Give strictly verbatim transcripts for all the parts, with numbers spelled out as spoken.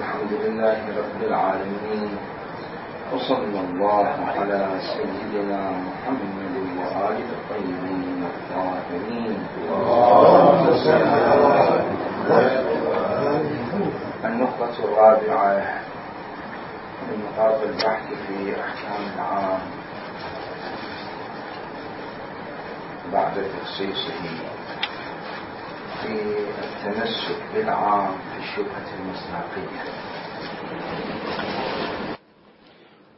الحمد لله رب العالمين، وصلى الله على سيدنا محمد وآله الطيبين الطاهرين. النقطة الرابعة من نقاط البحث في أحكام العام بعد تخصيصه في التمسك بالعام في الشبهة المصداقية،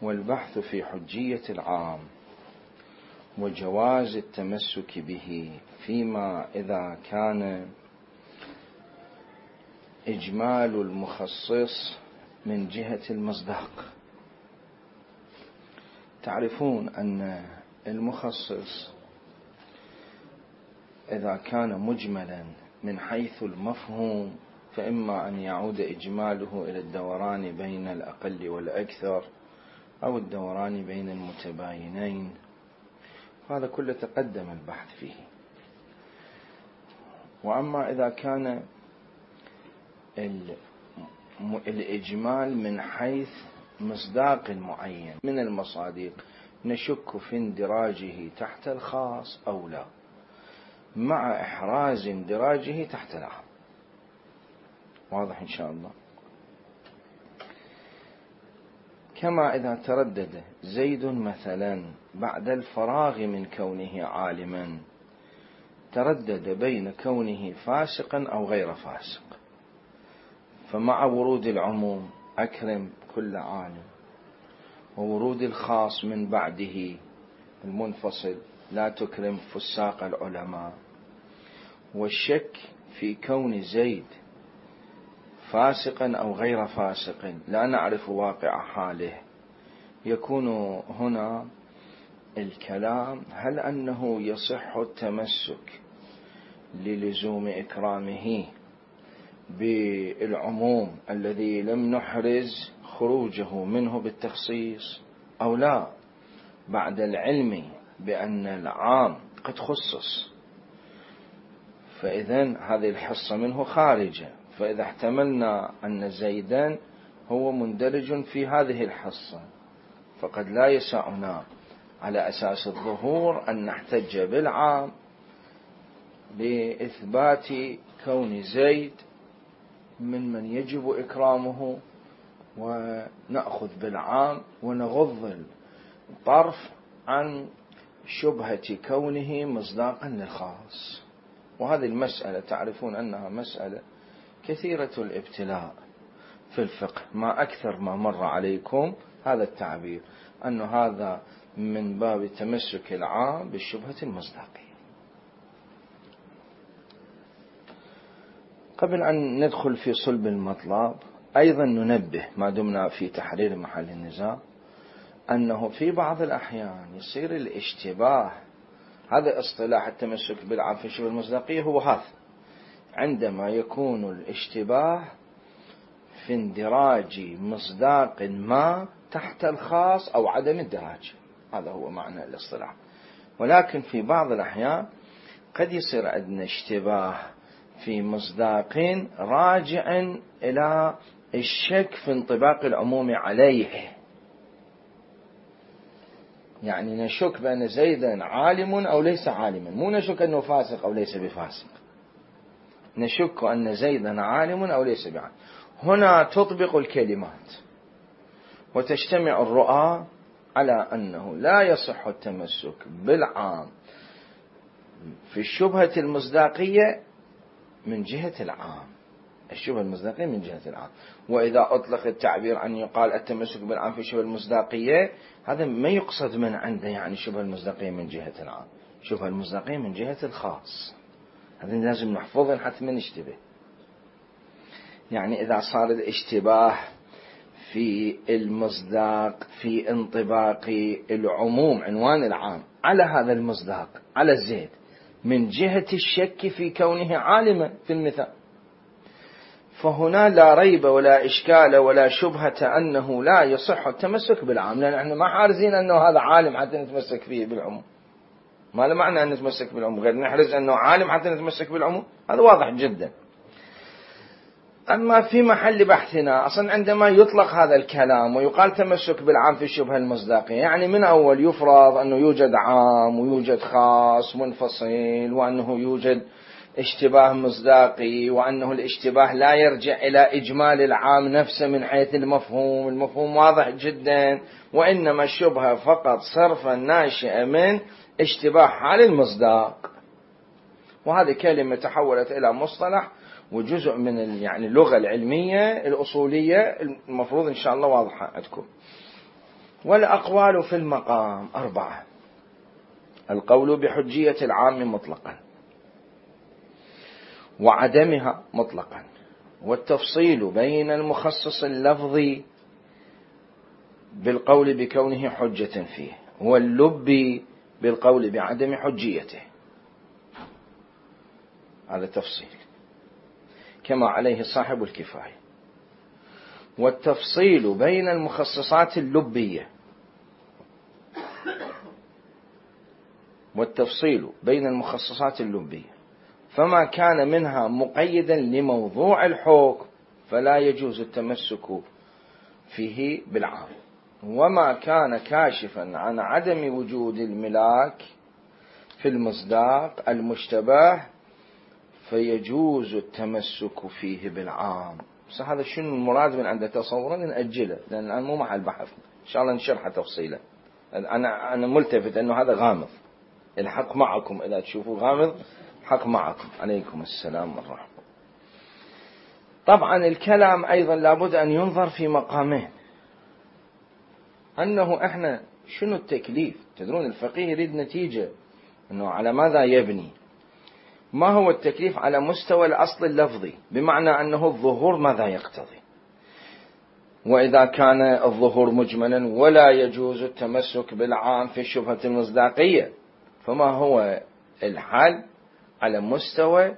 والبحث في حجية العام وجواز التمسك به فيما إذا كان إجمال المخصص من جهة المصداق. تعرفون أن المخصص إذا كان مجملا من حيث المفهوم فإما أن يعود إجماله إلى الدوران بين الأقل والأكثر أو الدوران بين المتباينين، هذا كله تقدم البحث فيه. وأما إذا كان الإجمال من حيث مصداق معين من المصادق نشك في اندراجه تحت الخاص أو لا، مع إحراز اندراجه تحت العام. واضح إن شاء الله؟ كما إذا تردد زيد مثلا بعد الفراغ من كونه عالما، تردد بين كونه فاسقا أو غير فاسق، فمع ورود العموم أكرم كل عالم، وورود الخاص من بعده المنفصل لا تكرم فساق العلماء، والشك في كون زيد فاسقا أو غير فاسق لا نعرف واقع حاله، يكون هنا الكلام هل أنه يصح التمسك للزوم إكرامه بالعموم الذي لم نحرز خروجه منه بالتخصيص أو لا، بعد العلم بأن العام قد خصص، فإذن هذه الحصة منه خارجة. فإذا احتملنا أن زيدان هو مندرج في هذه الحصة فقد لا يسعنا على أساس الظهور أن نحتج بالعام لإثبات كون زيد من من يجب إكرامه، ونأخذ بالعام ونغض الطرف عن شبهة كونه مصداقا للخاص. وهذه المسألة تعرفون أنها مسألة كثيرة الابتلاء في الفقه، ما أكثر ما مر عليكم هذا التعبير، أن هذا من باب تمسك العام بالشبهة المصداقية. قبل أن ندخل في صلب المطلب أيضا ننبه ما دمنا في تحرير محل النزاع أنه في بعض الأحيان يصير الاشتباه، هذا اصطلاح التمسك بالعام في الشبهة المصداقية هو هذا، عندما يكون الاشتباه في اندراج مصداق ما تحت الخاص أو عدم اندراجه، هذا هو معنى الاصطلاح. ولكن في بعض الأحيان قد يصير عندنا اشتباه في مصداق راجع إلى الشك في انطباق العموم عليه، يعني نشك بأن زيدا عالم أو ليس عالما، مو نشك أنه فاسق أو ليس بفاسق، نشك أن زيدا عالم أو ليس بعالم. هنا تطبق الكلمات وتجتمع الرؤى على أنه لا يصح التمسك بالعام في الشبهة المصداقية من جهة العام، الشبهة المصداقية من جهة العام. وإذا أطلق التعبير أن يقال التمسك بالعام في الشبهة المصداقية، هذا ما يقصد من عنده يعني الشبهة المصداقية من جهة العام، الشبهة المصداقية من جهة الخاص، هذا لازم نحفظه حتى ما نشتبه. يعني إذا صار الاشتباه في المصداق في انطباق العموم عنوان العام على هذا المصداق على الزيد من جهة الشك في كونه عالما في المثال، فهنا لا ريب ولا إشكال ولا شبهة أنه لا يصح التمسك بالعام، لأن احنا ما حارزين أنه هذا عالم حتى نتمسك فيه بالعموم، ما له معنى أن نتمسك بالعموم غير نحرز أنه عالم حتى نتمسك بالعموم، هذا واضح جدا. أما في محل بحثنا أصلا عندما يطلق هذا الكلام ويقال تمسك بالعام في الشبهة المصداقية، يعني من أول يفرض أنه يوجد عام ويوجد خاص منفصل، وأنه يوجد اشتباه مصداقي، وأنه الاشتباه لا يرجع إلى إجمال العام نفسه من حيث المفهوم، المفهوم واضح جدا، وإنما الشبهة فقط صرفا ناشئة من اشتباه حال المصداق. وهذه كلمة تحولت إلى مصطلح وجزء من يعني اللغة العلمية الأصولية، المفروض إن شاء الله واضحة عندكم. والأقوال في المقام أربعة: القول بحجية العام مطلقا، وعدمها مطلقا، والتفصيل بين المخصص اللفظي بالقول بكونه حجة فيه، واللب بالقول بعدم حجيته. هذا تفصيل كما عليه صاحب الكفاية. والتفصيل بين المخصصات اللبية، والتفصيل بين المخصصات اللبية فما كان منها مقيدا لموضوع الحكم فلا يجوز التمسك فيه بالعام، وما كان كاشفا عن عدم وجود الملاك في المصداق المشتبه فيجوز التمسك فيه بالعام. بس هذا شنو المراد من عنده تصورا نأجله، لأن الآن مو محل بحث، إن شاء الله نشرحه تفصيلا. أنا أنا ملتفت أنه هذا غامض، الحق معكم، إذا تشوفوا غامض الحق معكم. عليكم السلام والرحمة. طبعا الكلام أيضا لابد أن ينظر في مقامين، أنه إحنا شنو التكليف. تدرون الفقيه يريد نتيجة، أنه على ماذا يبني. ما هو التكليف على مستوى الأصل اللفظي، بمعنى أنه الظهور ماذا يقتضي، وإذا كان الظهور مجملا ولا يجوز التمسك بالعام في الشبهة المصداقية، فما هو الحل على مستوى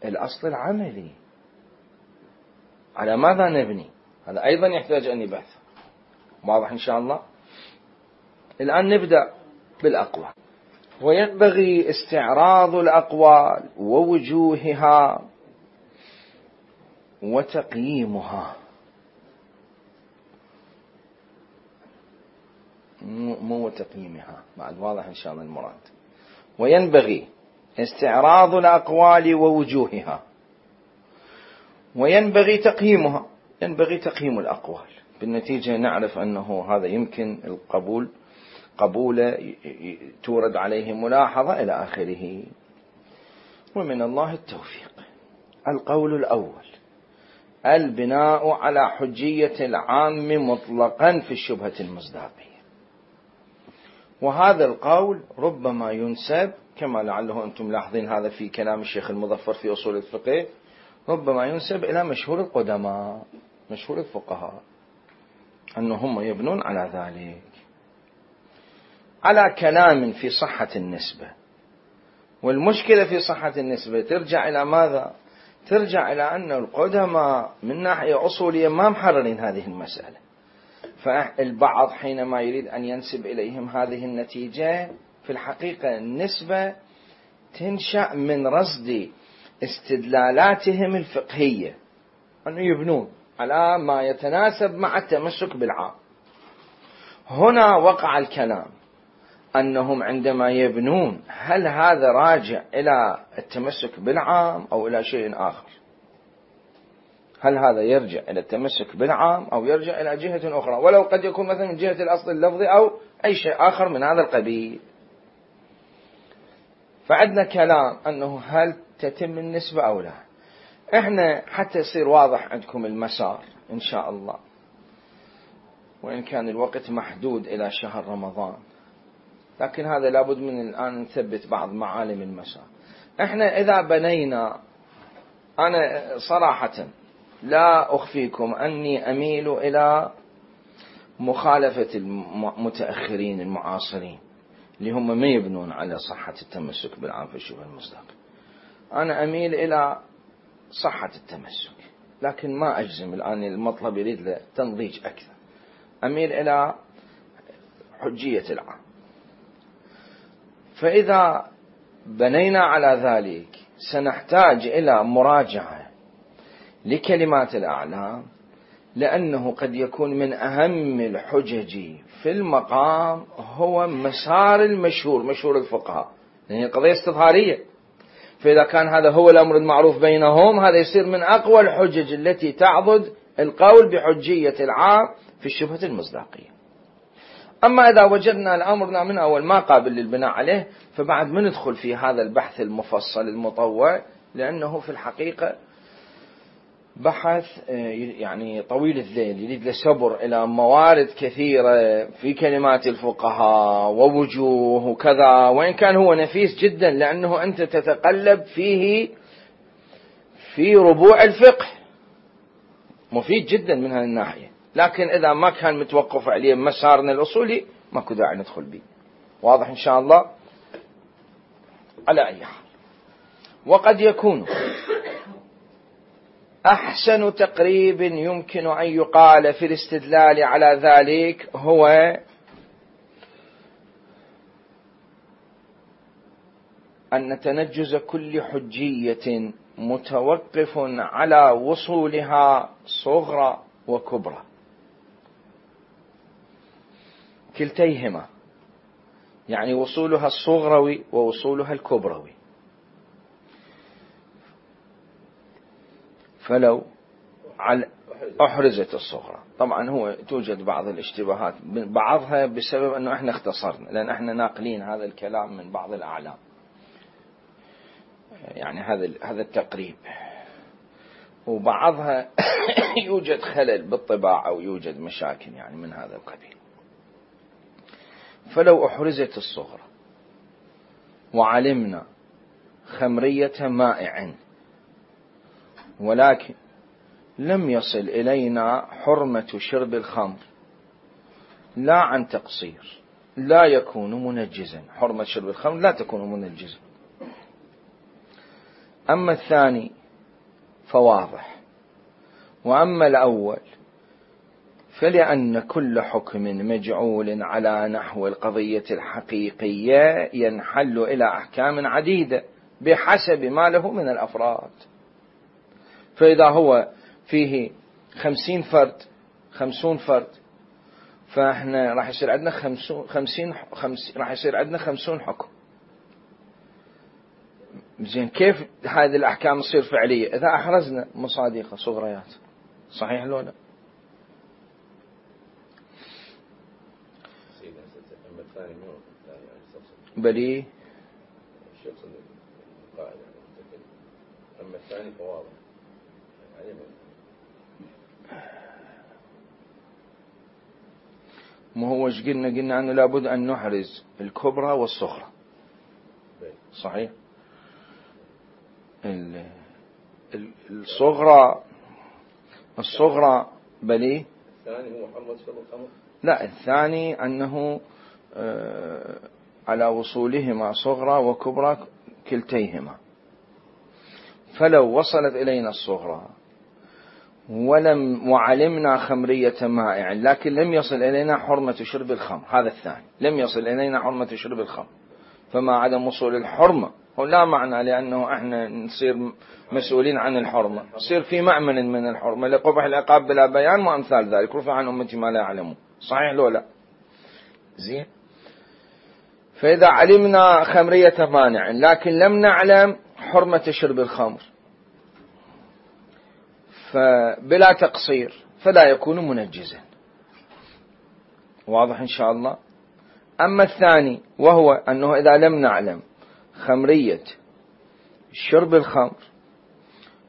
الأصل العملي، على ماذا نبني. هذا أيضا يحتاج أن يبحث. واضح إن شاء الله. الآن نبدأ بالأقوال. وينبغي استعراض الأقوال ووجوهها وتقييمها. مو تقييمها بعد، واضح إن شاء الله المراد. وينبغي استعراض الأقوال ووجوهها، وينبغي تقييمها. ينبغي تقييم الأقوال، بالنتيجة نعرف أنه هذا يمكن القبول، قبول تورد عليه ملاحظة إلى آخره. ومن الله التوفيق. القول الأول: البناء على حجية العام مطلقا في الشبهة المصداقية. وهذا القول ربما ينسب، كما لعله أنتم ملاحظين هذا في كلام الشيخ المظفر في أصول الفقه، ربما ينسب إلى مشهور القدماء، مشهور الفقهاء، أنهم يبنون على ذلك، على كلام في صحة النسبة. والمشكلة في صحة النسبة ترجع إلى ماذا؟ ترجع إلى أن القدماء من ناحية أصولية ما محررين هذه المسألة. فالبعض حينما يريد أن ينسب إليهم هذه النتيجة، في الحقيقة النسبة تنشأ من رصد استدلالاتهم الفقهية، أن يبنون على ما يتناسب مع التمسك بالعام. هنا وقع الكلام أنهم عندما يبنون، هل هذا راجع إلى التمسك بالعام أو إلى شيء آخر؟ هل هذا يرجع إلى التمسك بالعام أو يرجع إلى جهة أخرى، ولو قد يكون مثلا من جهة الأصل اللفظي أو أي شيء آخر من هذا القبيل. فعندنا كلام أنه هل تتم النسبة أو لا. إحنا حتى يصير واضح عندكم المسار إن شاء الله، وإن كان الوقت محدود إلى شهر رمضان، لكن هذا لابد من الآن نثبت بعض معالم المسار. إحنا إذا بنينا، أنا صراحة لا أخفيكم أني أميل إلى مخالفة المتأخرين المعاصرين اللي هم ما يبنون على صحة التمسك بالعام في الشبهة المصداقية. أنا أميل إلى صحة التمسك، لكن ما أجزم الآن، المطلب يريد له تنضيج أكثر. أميل إلى حجية العام. فإذا بنينا على ذلك سنحتاج إلى مراجعة لكلمات الأعلام، لأنه قد يكون من أهم الحجج في المقام هو مسار المشهور، مشهور الفقهاء، يعني القضية استظهارية، فإذا كان هذا هو الأمر المعروف بينهم هذا يصير من أقوى الحجج التي تعضد القول بحجية العام في الشبهة المصداقية. أما إذا وجدنا الأمر من أول ما قابل للبناء عليه فبعد ما ندخل في هذا البحث المفصل المطول، لأنه في الحقيقة بحث يعني طويل الذيل، يريد له صبر إلى موارد كثيرة في كلمات الفقهاء ووجوه وكذا، وإن كان هو نفيس جدا لأنه أنت تتقلب فيه في ربوع الفقه، مفيد جدا من هذه الناحية، لكن إذا ما كان متوقف عليه مسارنا الأصولي ماكو داعي ندخل به. واضح إن شاء الله؟ على أي حال، وقد يكون أحسن تقريب يمكن أن يقال في الاستدلال على ذلك هو أن تنجز كل حجية متوقف على وصولها صغرى وكبرى، كلتيهما، يعني وصولها الصغروي ووصولها الكبروي. فلو أحرزت الصغرى، طبعا هو توجد بعض الاشتباهات، بعضها بسبب أنه احنا اختصرنا، لأن احنا ناقلين هذا الكلام من بعض الأعلام، يعني هذا هذا التقريب، وبعضها يوجد خلل بالطباعة أو يوجد مشاكل يعني من هذا القبيل. فلو أحرزت الصغرى وعلمنا خمرية مائع ولكن لم يصل إلينا حرمة شرب الخمر لا عن تقصير لا يكون منجزا، حرمة شرب الخمر لا تكون منجزا. أما الثاني فواضح، وأما الأول فلأن كل حكم مجعول على نحو القضية الحقيقية ينحل إلى أحكام عديدة بحسب ما له من الأفراد. فإذا هو فيه خمسين فرد خمسون فرد فإحنا راح يصير عندنا خمسون خمسين خمس راح يصير عندنا خمسون حكم. زين، كيف هذه الأحكام تصير فعلية؟ إذا أحرزنا مصادقة صغريات، صحيح لو لا؟ بلي الشخص القائل أما الثاني فواضح يعني ما هو ايش قلنا؟ قلنا أنه لابد أن نحرز الكبرى والصغرى، صحيح؟ الصغرى الصغرى بلي الثاني هو حرمة شرب الخمر؟ لا، الثاني أنه آه على وصولهما صغرى وكبرى كلتيهما. فلو وصلت إلينا الصغرى ولم وعلمنا خمرية مائع لكن لم يصل إلينا حرمة شرب الخمر، هذا الثاني لم يصل إلينا حرمة شرب الخمر، فما عدم وصول الحرمة هو لا معنى لأنه احنا نصير مسؤولين عن الحرمة، نصير في مأمن من الحرمة لقبح العقاب بلا بيان وأمثال ذلك، رفع عن أمتي ما لا يعلمون، صحيح لو لا؟ زين. فإذا علمنا خمرية مانع لكن لم نعلم حرمة شرب الخمر فبلا تقصير فلا يكون منجزا. واضح إن شاء الله؟ أما الثاني وهو أنه إذا لم نعلم خمرية شرب الخمر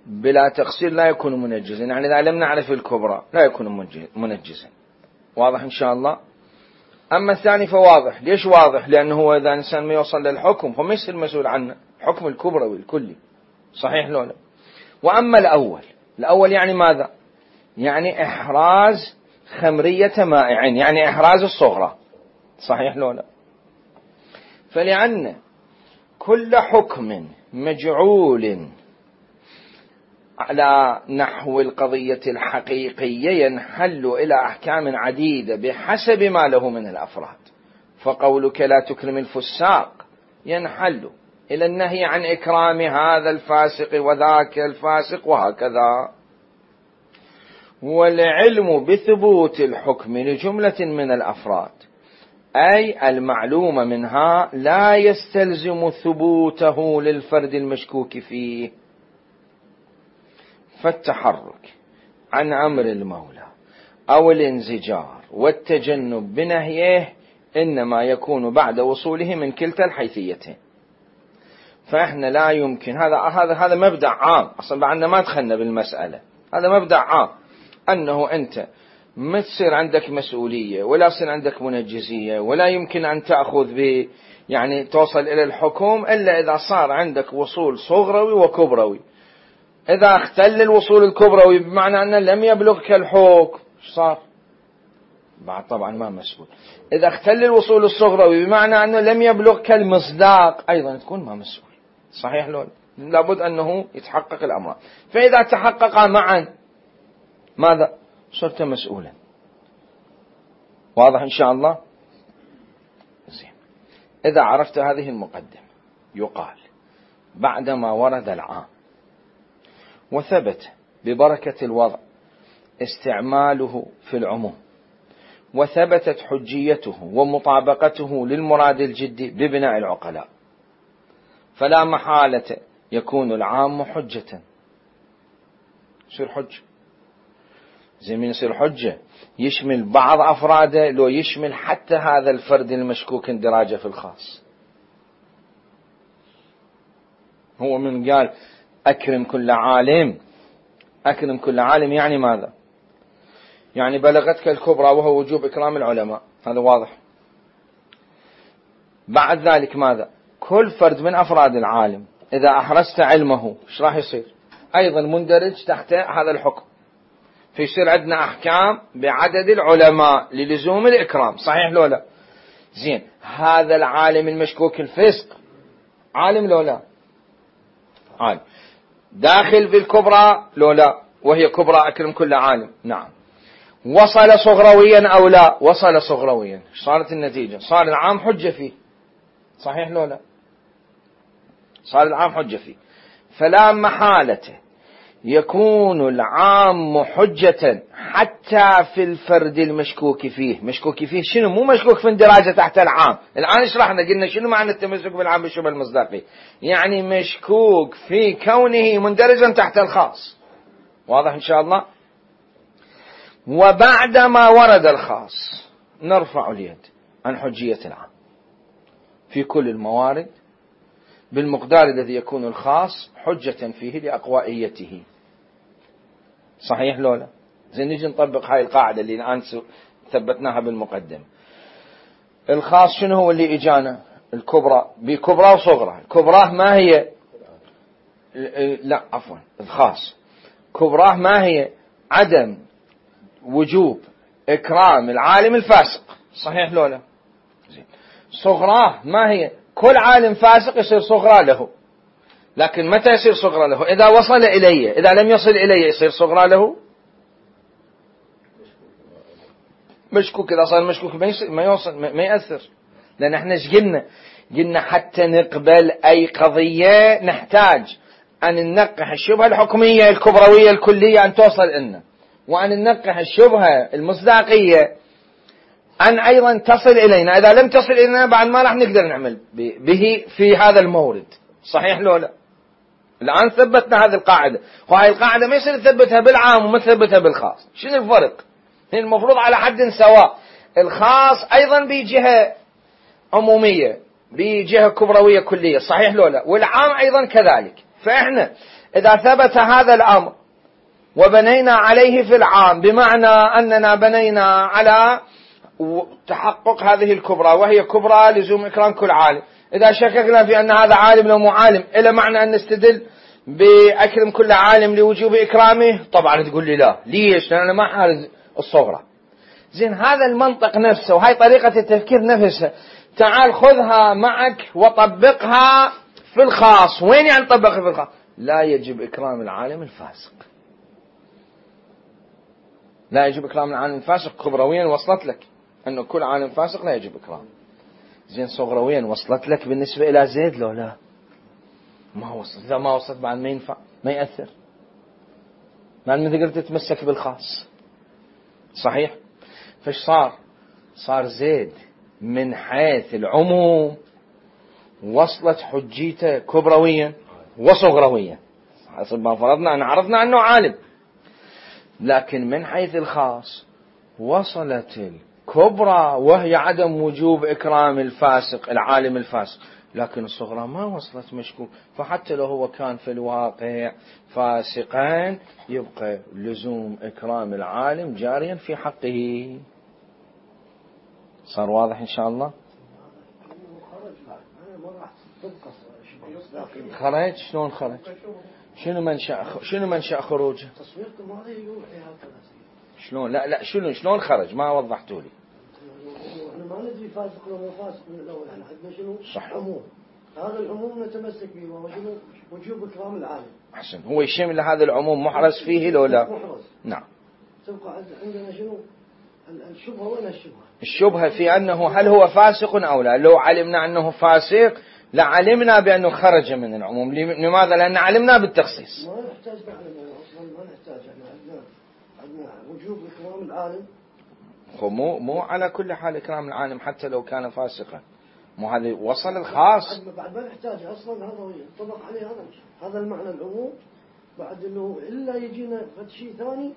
بلا تقصير لا يكون منجزا، يعني إذا لم نعرف الكبرى لا يكون منجزا. واضح إن شاء الله؟ أما الثاني فواضح. ليش واضح؟ لأنه هو إذا إنسان ما يوصل للحكم فما يصير مسؤول عنه، حكم الكبروي الكلي، صحيح لو لا؟ وأما الأول، الأول يعني ماذا؟ يعني إحراز خمرية مائع، يعني إحراز الصغرى، صحيح لو لا؟ فلأن كل حكم مجعول على نحو القضية الحقيقية ينحل إلى أحكام عديدة بحسب ما له من الأفراد. فقولك لا تكرم الفساق ينحل إلى النهي عن إكرام هذا الفاسق وذاك الفاسق وهكذا، والعلم بثبوت الحكم لجملة من الأفراد، أي المعلوم منها لا يستلزم ثبوته للفرد المشكوك فيه. فالتحرك عن أمر المولى أو الانزجار والتجنب بنهيه إنما يكون بعد وصوله من كلتا الحيثيتين. فإحنا لا يمكن، هذا هذا هذا مبدأ عام، أصلا بعدنا ما دخلنا بالمسألة، هذا مبدأ عام أنه أنت ما تصير عندك مسؤولية ولا تصير عندك منجزية ولا يمكن أن تأخذ ب يعني توصل إلى الحكم إلا إذا صار عندك وصول صغروي وكبروي. إذا اختل الوصول الكبروي بمعنى أنه لم يبلغك الحكم صار بعد طبعا ما مسؤول. إذا اختل الوصول الصغروي بمعنى أنه لم يبلغك المصداق أيضا تكون ما مسؤول. صحيح لون؟ لابد أنه يتحقق الأمر. فإذا تحقق معا ماذا؟ صرت مسؤولا. واضح إن شاء الله؟ زين. إذا عرفت هذه المقدمة يقال بعدما ورد العام وثبت ببركة الوضع استعماله في العموم وثبتت حجيته ومطابقته للمراد الجدي ببناء العقلاء، فلا محالة يكون العام حجة. يصير حجة زي من يصير حجة يشمل بعض أفراده لو يشمل حتى هذا الفرد المشكوك اندراجه في الخاص. هو من قال أكرم كل عالم، أكرم كل عالم يعني ماذا؟ يعني بلغتك الكبرى وهو وجوب إكرام العلماء، هذا واضح. بعد ذلك ماذا؟ كل فرد من أفراد العالم إذا أحرزت علمه إيش راح يصير؟ أيضا مندرج تحت هذا الحكم. فيصير عندنا أحكام بعدد العلماء للزوم الإكرام. صحيح لو لا؟ زين. هذا العالم المشكوك الفسق عالم لو لا؟ عالم. داخل في الكبرى لو لا؟ وهي كبرى أكرم كل عالم. نعم. وصل صغرويا أو لا؟ وصل صغرويا. صارت النتيجة؟ صار العام حجة فيه. صحيح لو لا؟ صار العام حجة فيه. فلا محالة يكون العام حجة حتى في الفرد المشكوك فيه. مشكوك فيه شنو؟ مو مشكوك في اندراجه تحت العام. الآن شرحنا قلنا شنو معنى التمسك بالعام بالشبه المصداقي، يعني مشكوك في كونه مندرجا تحت الخاص. واضح إن شاء الله؟ وبعدما ورد الخاص نرفع اليد عن حجية العام في كل الموارد بالمقدار الذي يكون الخاص حجة فيه لأقوائيته. صحيح لولا؟ زين نجي نطبق هاي القاعدة اللي الآن ثبتناها بالمقدمة. الخاص شنو هو اللي إجانا؟ الكبرى بكبرى وصغرى. الكبرى ما هي؟ لا عفوا الخاص كبرى ما هي؟ عدم وجوب إكرام العالم الفاسق. صحيح لولا؟ زين. صغرى ما هي؟ كل عالم فاسق يصير صغرى له، لكن متى يصير صغرى له؟ إذا وصل إليه. إذا لم يصل إليه يصير صغرى له مشكوك. إذا صار مشكوك ما يوصل ما يأثر. لأن احنا ايش قلنا؟ قلنا حتى نقبل أي قضية نحتاج أن ننقح الشبهة الحكمية الكبروية الكلية أن توصل لنا، وأن ننقح الشبهة المصداقية أن أيضا تصل إلينا. إذا لم تصل إلينا بعد ما راح نقدر نعمل به في هذا المورد. صحيح لو لا؟ الآن ثبتنا هذه القاعدة، وهذه القاعدة ما يصير نثبتها بالعام وما نثبتها بالخاص. شنو الفرق؟ هي المفروض على حد سواء. الخاص أيضا بجهة عمومية بجهة كبروية كلية. صحيح لو لا؟ والعام أيضا كذلك. فإحنا إذا ثبت هذا الأمر وبنينا عليه في العام بمعنى أننا بنينا على تحقق هذه الكبرى وهي كبرى لزوم إكرام كل عالم، إذا شككنا في أن هذا عالم لو مو عالم إلى معنى أن نستدل بأكرم كل عالم لوجوب إكرامه؟ طبعا تقول لي لا. ليش؟ لأن أنا ما حارز الصغرى. زين. هذا المنطق نفسه وهي طريقة التفكير نفسها تعال خذها معك وطبقها في الخاص. وين يعني طبقها في الخاص؟ لا يجب إكرام العالم الفاسق. لا يجب إكرام العالم الفاسق. كبرويا وصلت لك أنه كل عالم فاسق لا يجب إكرام. زين. صغرويا وصلت لك بالنسبة إلى زيد لو لا؟ ما وصلت. إذا ما وصلت بعد ما ينفع ما يأثر. بعد ما تقدر تتمسك بالخاص. صحيح؟ فايش صار؟ صار زيد من حيث العموم وصلت حجيته كبرويا وصغرويا حسب ما فرضنا أن عرفنا أنه عالم، لكن من حيث الخاص وصلت الكبرى وهي عدم وجوب إكرام الفاسق العالم الفاسق، لكن الصغرى ما وصلت مشكوك. فحتى لو هو كان في الواقع فاسقا يبقى لزوم إكرام العالم جاريا في حقه. صار واضح إن شاء الله؟ خرج؟ شلون خرج؟ شنو منشأ شنو منشأ خروجه؟ شلون؟ لا لا شنو شلون خرج؟ ما وضحتوا لي. احنا ما ندري فاسق ولا فاسق من الاول، احنا عندنا شنو؟ صح. عموم، هذا العموم نتمسك به وهو شنو؟ وجوب اكرام العالم. احسن، هو يشمل هذا العموم محرز فيه لو لا؟ محرز. نعم. تبقى عندنا شنو؟ الشبهه. وين الشبهه؟ الشبهه في انه هل هو فاسق او لا. لو علمنا انه فاسق لعلمنا بانه خرج من العموم. لماذا؟ لان علمنا بالتخصيص. ما نحتاج نعلم اصلا، ما نحتاج. احنا عندنا عندنا وجوب اكرام العالم. مو مو على كل حال إكرام العالم حتى لو كان فاسقا، مو هذا وصل الخاص. بعد ما نحتاج أصلا، هذا ينطبق عليه هذا هذا المعنى العموم. بعد إنه إلا يجينا شيء ثاني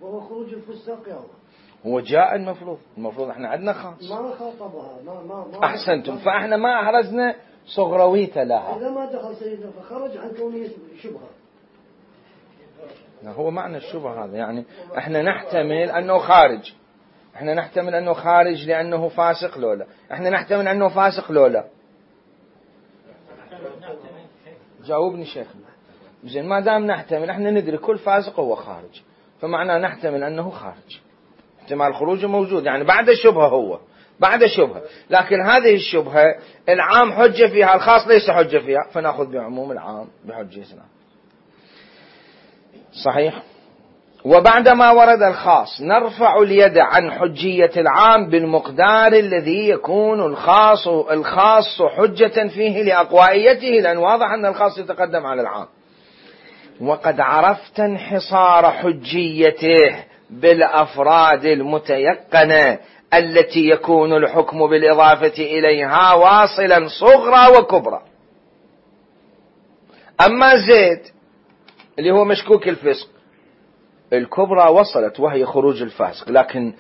وهو خروج الفساق يا الله. هو جاء المفروض المفروض احنا عندنا خاص. ما خاطبها ما ما ما أحسنتم، فاحنا ما أحرزنا صغرويته لها. إذا ما دخل سيدنا فخرج عن كونه شبهة. هو معنى الشبهة هذا، يعني احنا نحتمل أنه خارج، احنا نحتمل انه خارج لانه فاسق لولا، احنا نحتمل انه فاسق لولا. جاوبني شيخنا. زين، ما دام نحتمل، احنا ندري كل فاسق هو خارج، فمعناه نحتمل انه خارج. احتمال خروجه موجود، يعني بعد الشبهة، هو بعد الشبهة، لكن هذه الشبهة العام حجة فيها، الخاص ليس حجة فيها، فنأخذ بعموم العام بحجتنا. صحيح. وبعدما ورد الخاص نرفع اليد عن حجية العام بالمقدار الذي يكون الخاص الخاص حجة فيه لأقوائيته، لأن واضح أن الخاص يتقدم على العام. وقد عرفت انحصار حجيته بالأفراد المتيقنة التي يكون الحكم بالإضافة إليها واصلا صغرى وكبرى. أما زيد اللي هو مشكوك الفسق، الكبرى وصلت وهي خروج الفاسق، لكن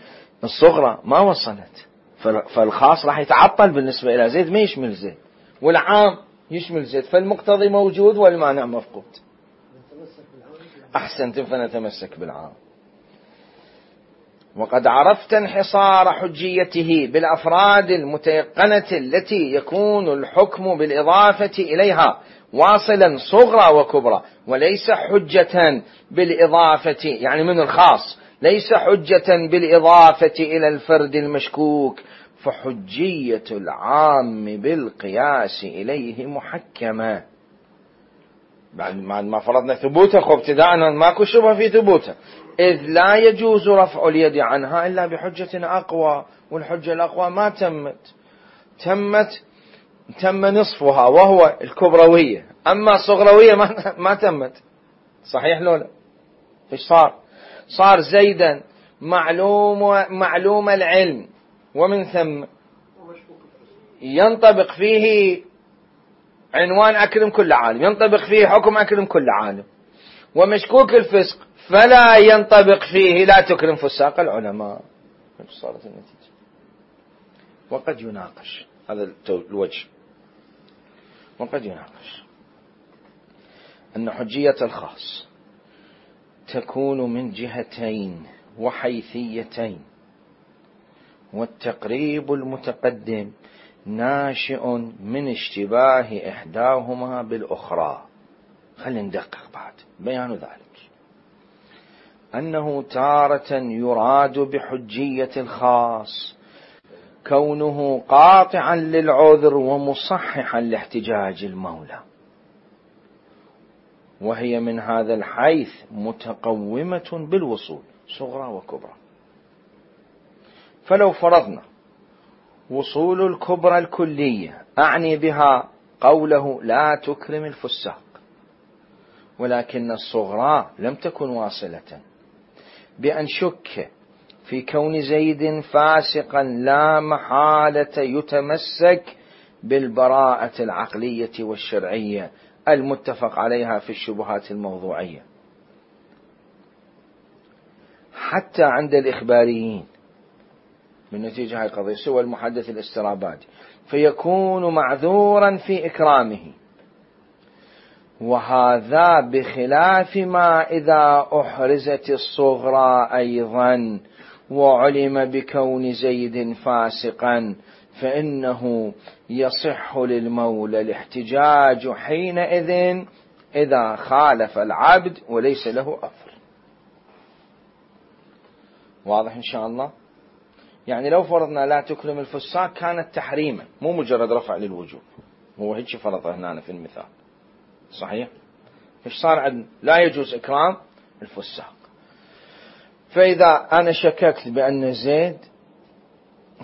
الصغرى ما وصلت، فالخاص راح يتعطل بالنسبة إلى زيد، ما يشمل زيد، والعام يشمل زيد، فالمقتضي موجود والمانع مفقود. أحسنت، فنتمسك بالعام. وقد عرفت انحصار حجيته بالأفراد المتيقنة التي يكون الحكم بالإضافة إليها واصلا صغرى وكبرى، وليس حجة بالإضافة، يعني من الخاص، ليس حجة بالإضافة إلى الفرد المشكوك، فحجية العام بالقياس إليه محكمة. بعد ما فرضنا ثبوته، خب ابتداء ماكو شبهة في ثبوته، إذ لا يجوز رفع اليد عنها إلا بحجة أقوى، والحجة الأقوى ما تمت تمت تم نصفها وهو الكبروية، أما الصغروية ما, ما تمت. صحيح لولا؟ فيش صار؟ صار زيدا معلوم معلوم العلم، ومن ثم ينطبق فيه عنوان أكرم كل عالم، ينطبق فيه حكم أكرم كل عالم. ومشكوك الفسق فلا ينطبق فيه لا تكرم فساق العلماء. صارت النتيجة. وقد يناقش هذا الوجه، وقد يناقش أن حجية الخاص تكون من جهتين وحيثيتين، والتقريب المتقدم ناشئ من اشتباه إحداهما بالأخرى. خلينا ندقق بعد بيان ذلك، أنه تارة يراد بحجية الخاص كونه قاطعا للعذر ومصححا لاحتجاج المولى، وهي من هذا الحيث متقومة بالوصول صغرى وكبرى. فلو فرضنا وصول الكبرى الكلية، أعني بها قوله لا تكرم الفساق، ولكن الصغرى لم تكن واصلة، بأن شك في كون زيد فاسقا لا محالة يتمسك بالبراءة العقلية والشرعية المتفق عليها في الشبهات الموضوعية حتى عند الإخباريين من نتيجة هذه القضية سوى المحدث الاسترابادي، فيكون معذورا في إكرامه. وهذا بخلاف ما إذا أحرزت الصغرى أيضا وعلم بكون زيد فاسقا، فإنه يصح للمولى الاحتجاج حينئذ إذا خالف العبد وليس له أثر. واضح إن شاء الله؟ يعني لو فرضنا لا تكرم الفساق كانت تحريما مو مجرد رفع للوجوب، هو هيك فرضه هنا في المثال صحيح؟ إيش صار عندنا؟ لا يجوز إكرام الفساق. فإذا أنا شككت بأن زيد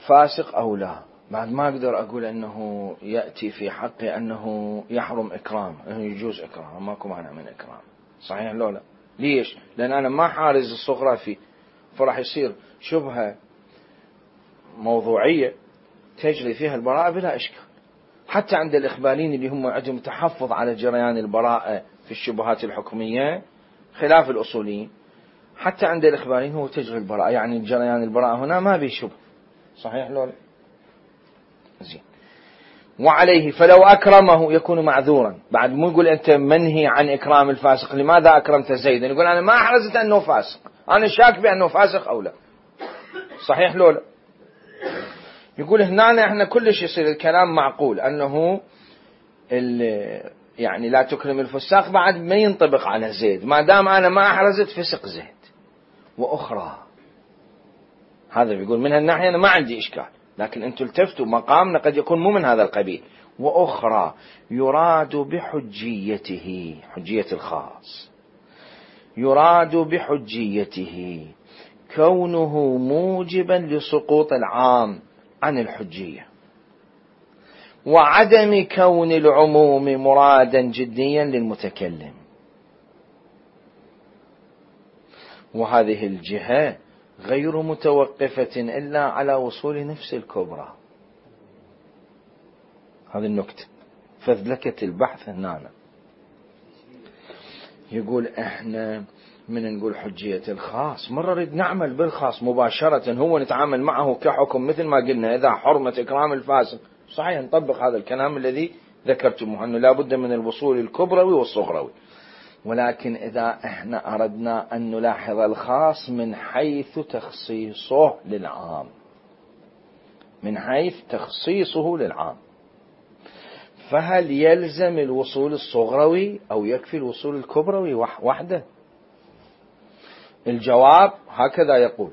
فاسق أو لا، بعد ما أقدر أقول أنه يأتي في حقي أنه يحرم إكرام، أنه يجوز إكرام، ماكو مانع من إكرام، صحيح لو لا؟ ليش؟ لأن أنا ما حارز الصغرى فيه، فراح يصير شبهة موضوعية تجري فيها البراءة بلا إشكال. حتى عند الإخباريين اللي هم عندهم تحفظ على جريان البراءة في الشبهات الحكمية خلاف الأصوليين، حتى عند الإخباريين هو تجري البراءة، يعني جريان البراءة هنا ما بيه شبه، صحيح لولا؟ زين. وعليه فلو أكرمه يكون معذورا. بعد مو يقول أنت منهي عن إكرام الفاسق، لماذا أكرمت زيدا؟ يقول أنا ما أحرزت أنه فاسق، أنا شاك بأنه فاسق أو لا، صحيح لولا؟ يقول هنا احنا كلش يصير الكلام معقول أنه يعني لا تكرم الفساق بعد ما ينطبق على زيد، ما دام أنا ما أحرزت فسق زيد. وأخرى هذا بيقول من هالناحية أنا ما عندي إشكال، لكن أنتم التفتوا مقامنا قد يكون مو من هذا القبيل. وأخرى يراد بحجيته، حجية الخاص، يراد بحجيته كونه موجبا لسقوط العام عن الحجية، وعدم كون العموم مرادا جديا للمتكلم. وهذه الجهة غير متوقفة إلا على وصول نفس الكبرى. هذه النكتة فذلكة البحث هنا. يقول احنا من نقول حجية الخاص مرة نريد نعمل بالخاص مباشرة، هو نتعامل معه كحكم مثل ما قلنا إذا حرمة إكرام الفاسق، صحيح نطبق هذا الكلام الذي ذكرتموه أنه لا بد من الوصول الكبروي والصغروي. ولكن إذا احنا أردنا أن نلاحظ الخاص من حيث تخصيصه للعام، من حيث تخصيصه للعام، فهل يلزم الوصول الصغروي أو يكفي الوصول الكبروي وحده؟ الجواب هكذا يقول،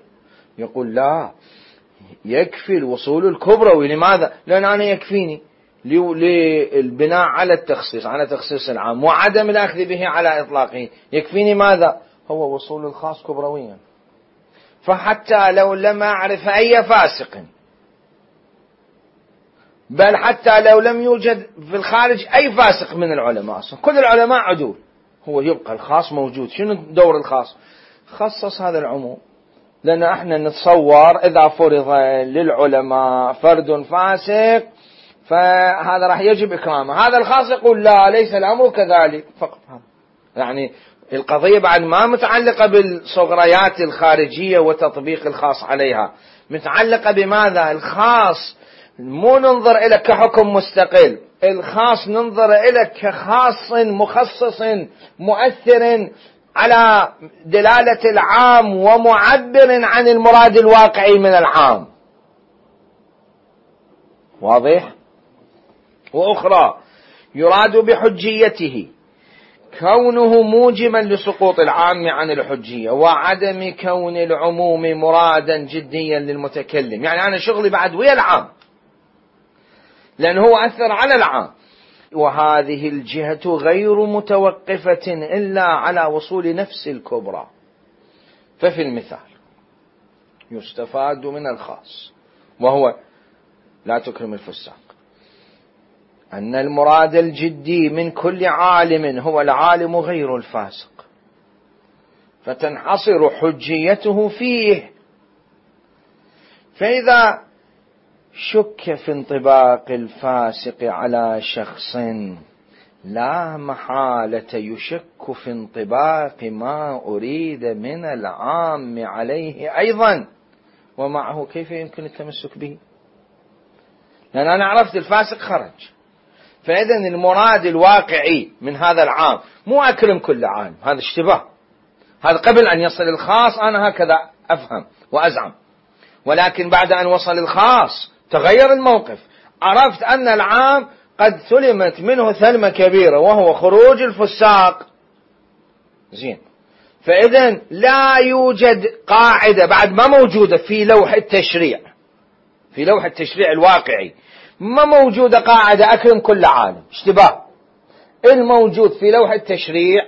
يقول لا، يكفي الوصول الكبروي. لماذا؟ لأن أنا يكفيني للبناء على التخصيص، على تخصيص العام وعدم الأخذ به على إطلاقه، يكفيني ماذا؟ هو وصول الخاص كبرويا. فحتى لو لم أعرف أي فاسق، بل حتى لو لم يوجد في الخارج أي فاسق من العلماء، أصلا كل العلماء عدول، هو يبقى الخاص موجود. شنو دور الخاص؟ خصص هذا العموم، لأن احنا نتصور إذا فرض للعلماء فرد فاسق فهذا راح يجب إكرامه، هذا الخاص يقول لا ليس الأمر كذلك فقط. يعني القضية بعد ما متعلقة بالصغريات الخارجية وتطبيق الخاص عليها، متعلقة بماذا؟ الخاص مو ننظر إلى كحكم مستقل، الخاص ننظر إلى كخاص مخصص مؤثر على دلالة العام ومعبر عن المراد الواقعي من العام. واضح؟ وأخرى يراد بحجيته كونه موجبا لسقوط العام عن الحجية وعدم كون العموم مرادا جديا للمتكلم. يعني أنا شغلي بعد ويا العام لأنه هو أثر على العام. وهذه الجهة غير متوقفة إلا على وصول نفس الكبرى. ففي المثال يستفاد من الخاص وهو لا تكرم الفساق أن المراد الجدي من كل عالم هو العالم غير الفاسق، فتنحصر حجيته فيه فإذا شك في انطباق الفاسق على شخص لا محالة يشك في انطباق ما أريد من العام عليه أيضا، ومعه كيف يمكن التمسك به؟ لأن أنا عرفت الفاسق خرج، فإذا المراد الواقعي من هذا العام مو أكرم كل عام، هذا اشتباه، هذا قبل أن يصل الخاص أنا هكذا أفهم وأزعم، ولكن بعد أن وصل الخاص تغير الموقف، عرفت أن العام قد سلمت منه ثلمة كبيرة وهو خروج الفساق. زين، فإذا لا يوجد قاعدة بعد ما موجودة في لوح التشريع، في لوح التشريع الواقعي ما موجودة قاعدة أكرم كل عالم، اشتباه. الموجود في لوح التشريع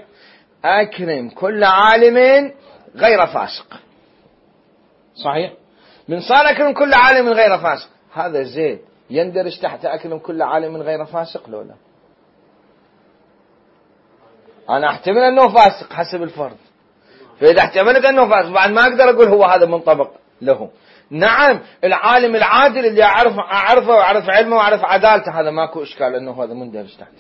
أكرم كل عالم غير فاسق. صحيح؟ من صار أكرم كل عالم غير فاسق، هذا زيد يندرج تحت أكرم كل عالم غير فاسق لولا؟ أنا أحتمل أنه فاسق حسب الفرض، فإذا احتملت أنه فاسق بعد ما أقدر أقول هو هذا منطبق له. نعم العالم العادل اللي أعرف أعرفه وأعرف علمه وأعرف عدالته هذا ماكو إشكال أنه هذا مندرج تحت.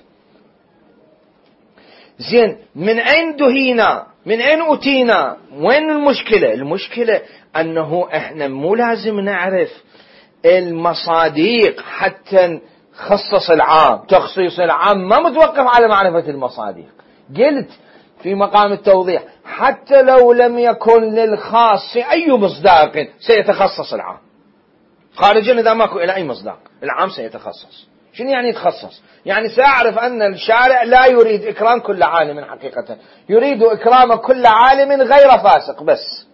زين، من أين دهينا؟ من أين أتينا؟ وين المشكلة؟ المشكلة أنه إحنا مو لازم نعرف المصاديق حتى نخصص العام. تخصيص العام ما متوقف على معرفة المصاديق. قلت في مقام التوضيح حتى لو لم يكن للخاص أي مصداق سيتخصص العام خارجا، إذا ماكو إلى أي مصداق العام سيتخصص. شنو يعني يتخصص؟ يعني سأعرف أن الشارع لا يريد إكرام كل عالم حقيقة، يريد إكرام كل عالم غير فاسق بس.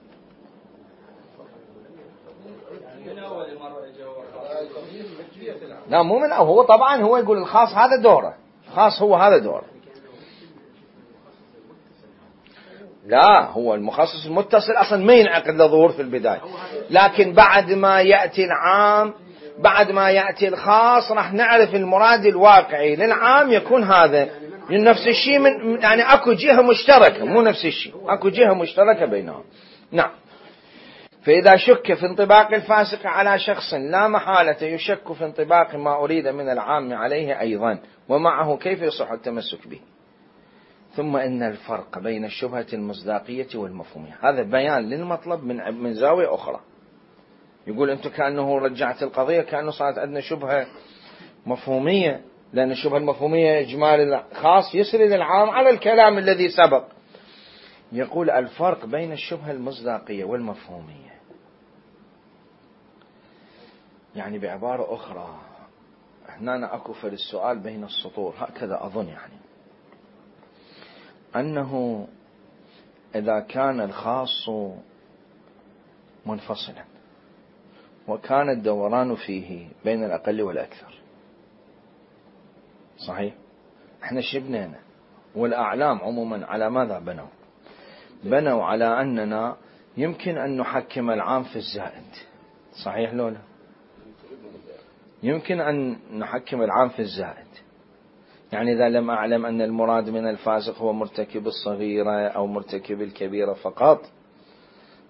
لا مو من أول، هو طبعا هو يقول الخاص هذا دوره، الخاص هو هذا دوره. لا، هو المخصص المتصل أصلا ما ينعقد له ظهور في البداية، لكن بعد ما يأتي العام، بعد ما يأتي الخاص راح نعرف المراد الواقعي للعام يكون هذا نفس الشيء، من يعني أكو جهة مشتركة، مو نفس الشيء، أكو جهة مشتركة بينهم. نعم، فإذا شك في انطباق الفاسق على شخص لا محالة يشك في انطباق ما أريد من العام عليه أيضا، ومعه كيف يصح التمسك به. ثم إن الفرق بين الشبهة المصداقية والمفهومية، هذا بيان للمطلب من من زاوية أخرى. يقول أنت كأنه رجعت القضية كأنه صارت عندنا شبهة مفهومية، لأن الشبهة المفهومية إجمال الخاص يسري للعام على الكلام الذي سبق. يقول الفرق بين الشبهة المصداقية والمفهومية، يعني بعبارة أخرى هنا أكو في السؤال بين السطور هكذا أظن، يعني أنه إذا كان الخاص منفصلا وكان الدوران فيه بين الأقل والأكثر، صحيح؟ احنا شبنانا والأعلام عموما على ماذا بنوا؟ بنوا على أننا يمكن أن نحكم العام في الزائد، صحيح لولا؟ يمكن أن نحكم العام في الزائد، يعني إذا لم أعلم أن المراد من الفاسق هو مرتكب الصغيرة أو مرتكب الكبيرة فقط،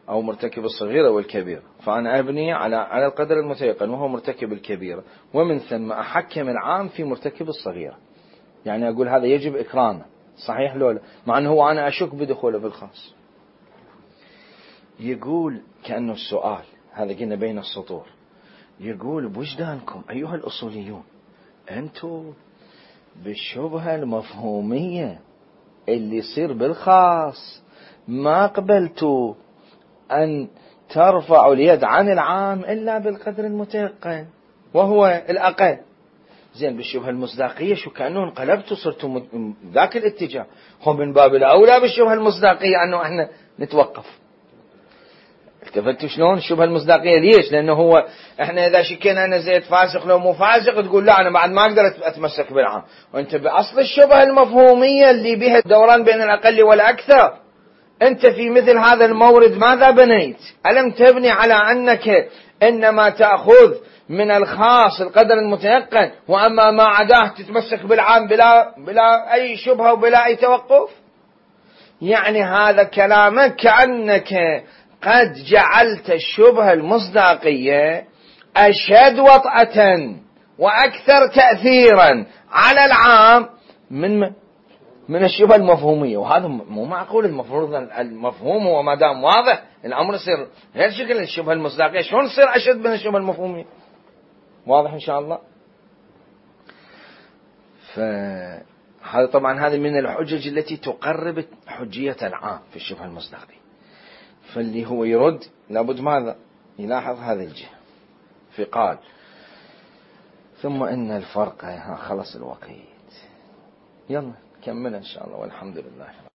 أو مرتكب الصغيرة والكبيرة، فأنا أبني على على القدر المتيقن وهو مرتكب الكبيرة، ومن ثم أحكم العام في مرتكب الصغيرة، يعني أقول هذا يجب إكرامه، صحيح لولا؟ مع أنه هو أنا أشك بدخوله في الخاص. يقول كأنه السؤال هذا قلنا بين السطور، يقول بوجدانكم أيها الأصوليون أنتم بالشبهة المفهومية اللي يصير بالخاص ما قبلتوا أن ترفعوا اليد عن العام إلا بالقدر المتيقن وهو الأقل. زين، بالشبهة المصداقية شو كأنه انقلبتوا صرتوا ذاك الاتجاه، هو من باب الأولى بالشبهة المصداقية أنه احنا نتوقف. التفتوا شلون الشبهة المصداقية؟ ليش؟ لأنه هو احنا إذا شكينا أنا زيد فاسق لو مو فاسق تقول لا أنا بعد ما أقدر أتمسك بالعام، وأنت بأصل الشبهة المفهومية اللي بها الدوران بين الأقل والأكثر، أنت في مثل هذا المورد ماذا بنيت؟ ألم تبني على أنك إنما تأخذ من الخاص القدر المتيقن، وأما ما عداه تتمسك بالعام بلا بلا أي شبهة وبلا أي توقف؟ يعني هذا كلامك كأنك قد جعلت الشبهة المصداقية أشد وطأة وأكثر تأثيرا على العام من من الشبهة المفهومية، وهذا مو معقول. المفروض المفهوم هو ما دام واضح الأمر يصير غير شكل الشبهة المصداقية، شلون تصير أشد من الشبهة المفهومية؟ واضح إن شاء الله. فهذا طبعا هذه من الحجج التي تقرب حجية العام في الشبهة المصداقية. فاللي هو يرد لابد ماذا يلاحظ هذه الجهة. فقال ثم إن الفرق، خلص الوقت، يلا كمل إن شاء الله، والحمد لله.